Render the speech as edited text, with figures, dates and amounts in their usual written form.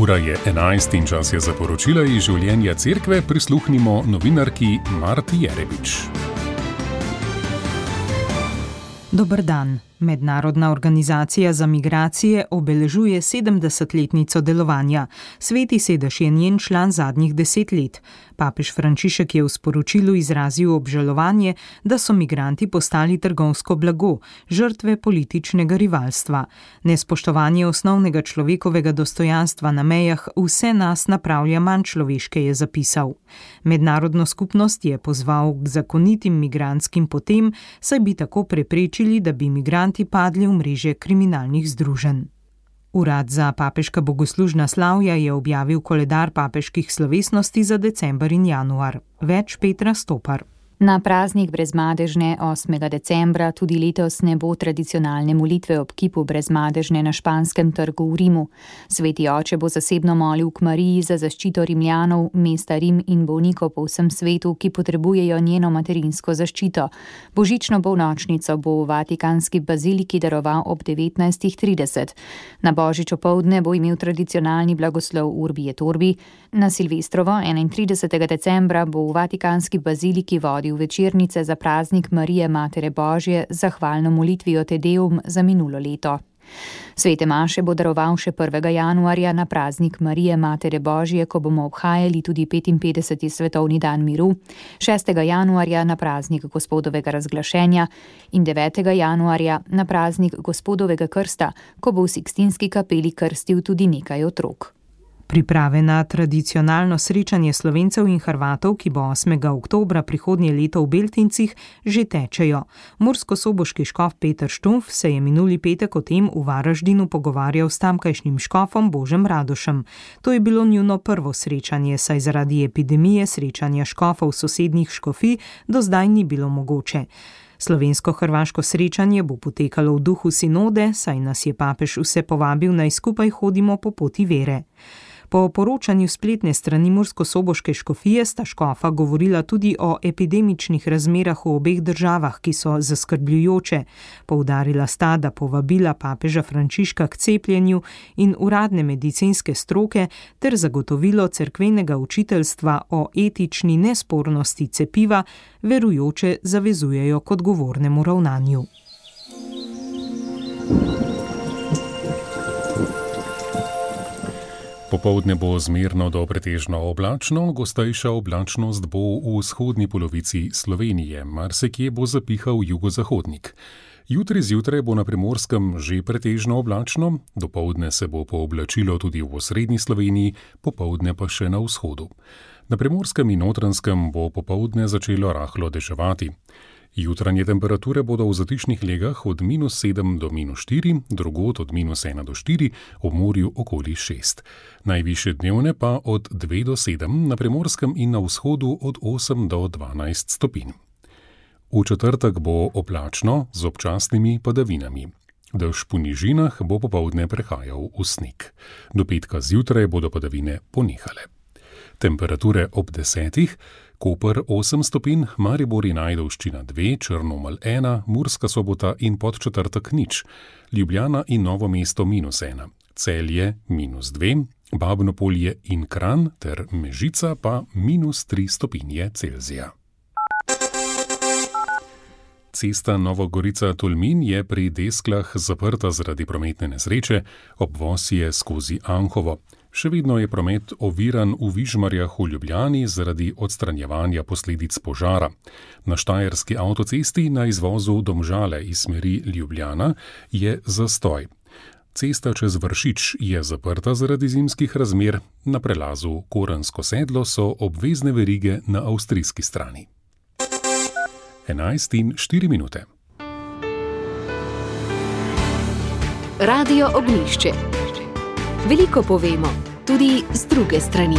Ura je 11 in čas je za poročila iz življenja cerkve. Prisluhnimo novinarki Marti Jerebič. Dober dan. Mednarodna organizacija za migracije obeležuje 70-letnico delovanja. Sveti sedež je njen član zadnjih 10 let. Papež Frančišek je v sporočilu izrazil obžalovanje, da so migranti postali trgovsko blago, žrtve političnega rivalstva. Nespoštovanje osnovnega človekovega dostojanstva na mejah vse nas napravlja manj človeške, je zapisal. Mednarodno skupnost je pozval k zakonitim migrantskim potem, saj bi tako preprečili, da bi migranti padli v mreže kriminalnih združenj. Urad za papeška bogoslužna slavja je objavil koledar papeških slovesnosti za december in januar. Več Petra Stopar. Na praznik Brezmadežne 8. decembra tudi letos ne bo tradicionalne molitve ob kipu Brezmadežne na Španskem trgu v Rimu. Sveti oče bo zasebno molil k Mariji za zaščito Rimljanov, mesta Rim in bolnikov po vsem svetu, ki potrebujejo njeno materinsko zaščito. Božično polnočnico bo v Vatikanski baziliki daroval ob 19:30. Na božič opoldne bo imel tradicionalni blagoslov Urbi et Orbi. Na Silvestrovo 31. decembra bo v Vatikanski baziliki vodil večernice za praznik Marije Matere Božje z zahvalno molitvijo Te Deum za minulo leto. Svete maše bo daroval še 1. januarja na praznik Marije Matere Božje, ko bomo obhajali tudi 55. svetovni dan miru, 6. januarja na praznik Gospodovega razglašenja in 9. januarja na praznik Gospodovega krsta, ko bo v Sikstinski kapeli krstil tudi nekaj otrok. Priprave na tradicionalno srečanje Slovencev in Hrvatov, ki bo 8. oktobra prihodnje leto v Beltincih, že tečejo. Murskosoboški škof Peter Štumpf se je minuli petek o tem v Varaždinu pogovarjal s tamkajšnjim škofom Božem Radošem. To je bilo njuno prvo srečanje, saj zaradi epidemije srečanja škofov sosednjih škofij do zdaj ni bilo mogoče. Slovensko-hrvaško srečanje bo potekalo v duhu sinode, saj nas je papež vse povabil, naj skupaj hodimo po poti vere. Po poročanju spletne strani Murskosoboške škofije sta škofa govorila tudi o epidemičnih razmerah v obeh državah, ki so zaskrbljujoče. Poudarila sta, da povabila papeža Frančiška k cepljenju in uradne medicinske stroke ter zagotovilo cerkvenega učiteljstva o etični nespornosti cepiva verujoče zavezujejo k odgovornemu ravnanju. Popoldne bo zmerno do pretežno oblačno, gostejša oblačnost bo v vzhodni polovici Slovenije, marsikje bo zapihal jugozahodnik. Jutri zjutraj bo na Primorskem že pretežno oblačno, dopoldne se bo pooblačilo tudi v osrednji Sloveniji, popoldne pa še na vzhodu. Na Primorskem in Notranjskem bo popoldne začelo rahlo deževati. Jutranje temperature bodo v zatišnih legah od -7 do -4, drugod od -1 do 4, ob morju okoli 6. Najvišje dnevne pa od 2 do 7, na Primorskem in na vzhodu od 8 do 12 stopinj. V četrtek bo oblačno z občasnimi padavinami. Dež po nižinah bo popoldne prehajal v sneg. Do petka zjutraj bodo padavine ponehale. Temperature ob 10. Koper 8 stopinj, Maribor in Ajdovščina 2, Črnomelj 1, Murska Sobota in Podčetrtek 0, Ljubljana in Novo mesto -1, Celje -2, Babnopolje in Kranj ter Mežica pa -3 stopinje Celzija. Cesta Novogorica-Tolmin je pri Desklah zaprta zaradi prometne nesreče, obvoz je skozi Anhovo. Še vedno je promet oviran v Vižmarjah v Ljubljani zaradi odstranjevanja posledic požara. Na štajerski avtocesti na izvozu Domžale iz smeri Ljubljana je zastoj. Cesta čez Vršič je zaprta zaradi zimskih razmer, na prelazu Korensko sedlo so obvezne verige na avstrijski strani. 11:04. Radio Ognjišče. Veliko povemo, tudi z druge strani.